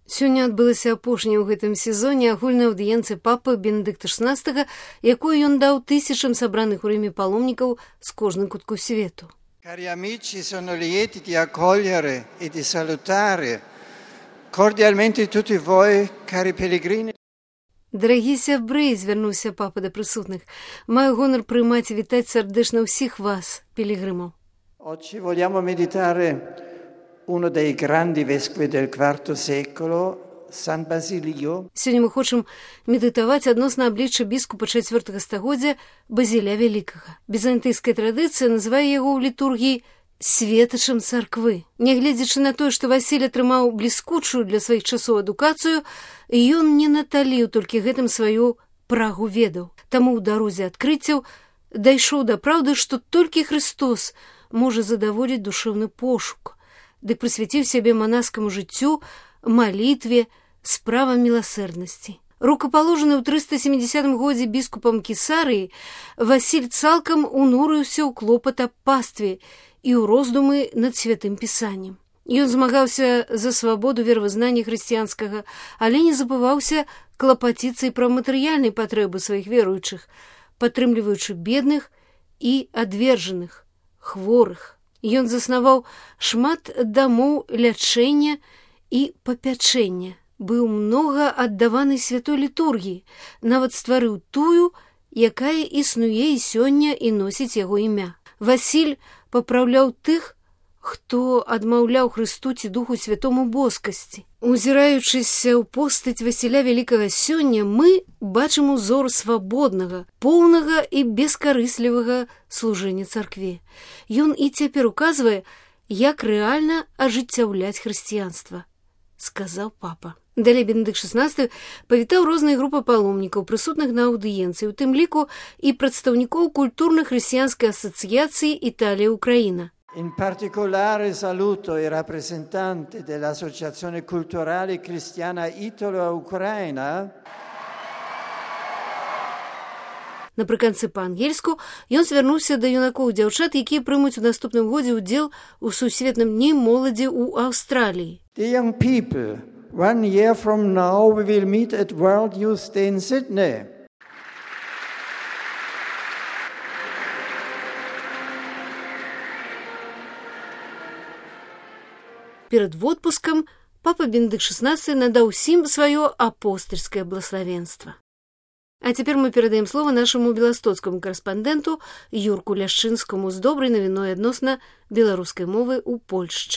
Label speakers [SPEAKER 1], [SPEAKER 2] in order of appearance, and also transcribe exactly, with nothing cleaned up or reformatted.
[SPEAKER 1] Сёння адбылася апошняя ў гэтым сезоне агульная аўдыенцыя папы Бенедыкта шаснаццатага, якую ён даў тысячам сабраных у Рыме паломнікаў з кожным кутку свету.
[SPEAKER 2] Cari amici, sono lieti di accogliere e di salutare cordialmente tutti voi, cari pellegrini.
[SPEAKER 1] Дарагі сябры, звярнуўся папа да прысутных, маю гонар прымаць і вітаць сардэчна ўсіх вас, пілігрымаў.
[SPEAKER 2] Oggi vogliamo meditare uno dei grandi vescovi del quarto secolo, San Basilio.
[SPEAKER 1] Сёння мы хочам медытаваць адносна аблічча біскупа чацвёртага стагоддзя Базіля Вялікага. Візантыйская традыцыя называе яго ў літургіі светачам царквы. Нягледзячы на тое, што Васіль атрымаў бліскучую для сваіх часоў адукацыю, ён не наталіў толькі гэтым сваю прагу ведаў. Таму ў дарозе адкрыццяў дайшоў да праўды, што толькі Христос можа задаволіць душэўны пошук, дык прысвяціў сябе манаскаму жыццю, малітве, справам міласэрнасці. Рукапаложаны ў трыста сямідзясятым годзе біскупам Кесарыі, Васіль цалкам унурыўся ў клопат аб пастве і ў роздумы над святым пісаннем. Ён змагаўся за свабоду веравызнання хрысціянскага, але не забываўся клапаціцца і пра матэрыяльныя патрэбы сваіх веруючых, падтрымліваючы бедных і адвержаных, хворых. Ён заснаваў шмат дамоў лячэння і папячэння, быў многа аддаваны святой літургіі, нават стварыў тую, якая існуе і сёння і носіць яго імя. Васіль папраўляў тых, хто адмаўляў Хрысту ці Духу Святому боскасці. Узіраючыся ў постаць Васіля Вялікага сёння, мы бачым узор свабоднага, поўнага і бескарыслівага служэння царкве. Ён і цяпер указвае, як рэальна ажыццяўляць хрысціянства, сказаў папа. Далей Бенедыкт шаснаццаты павітаў розныя групы паломнікаў, прысутных на аўдыенцыі, у тым ліку і прадстаўнікоў культурна-хрысціянскай асацыяцыі Італія-Украіна.
[SPEAKER 2] In particolare saluto i rappresentanti dell'Associazione Culturale Cristiana Italo-Ucraina.
[SPEAKER 1] Напрыканцы па-ангельску ён звярнуўся да юнакоў і дзяўчат, якія прымуць у наступным годзе ўдзел у сусветным дні моладзі ў Аўстраліі.
[SPEAKER 2] The young people, one year from now we will meet at World Youth Day in Sydney.
[SPEAKER 1] Перад водпускам папа Бенедыкт шаснаццаты надаў усім сваё апостальскае блаславенства. А цяпер мы перадаем слова нашаму беластоцкаму карэспандэнту Юрку Ляшчынскаму з добрай навіной адносна беларускай мовы ў Польшчы.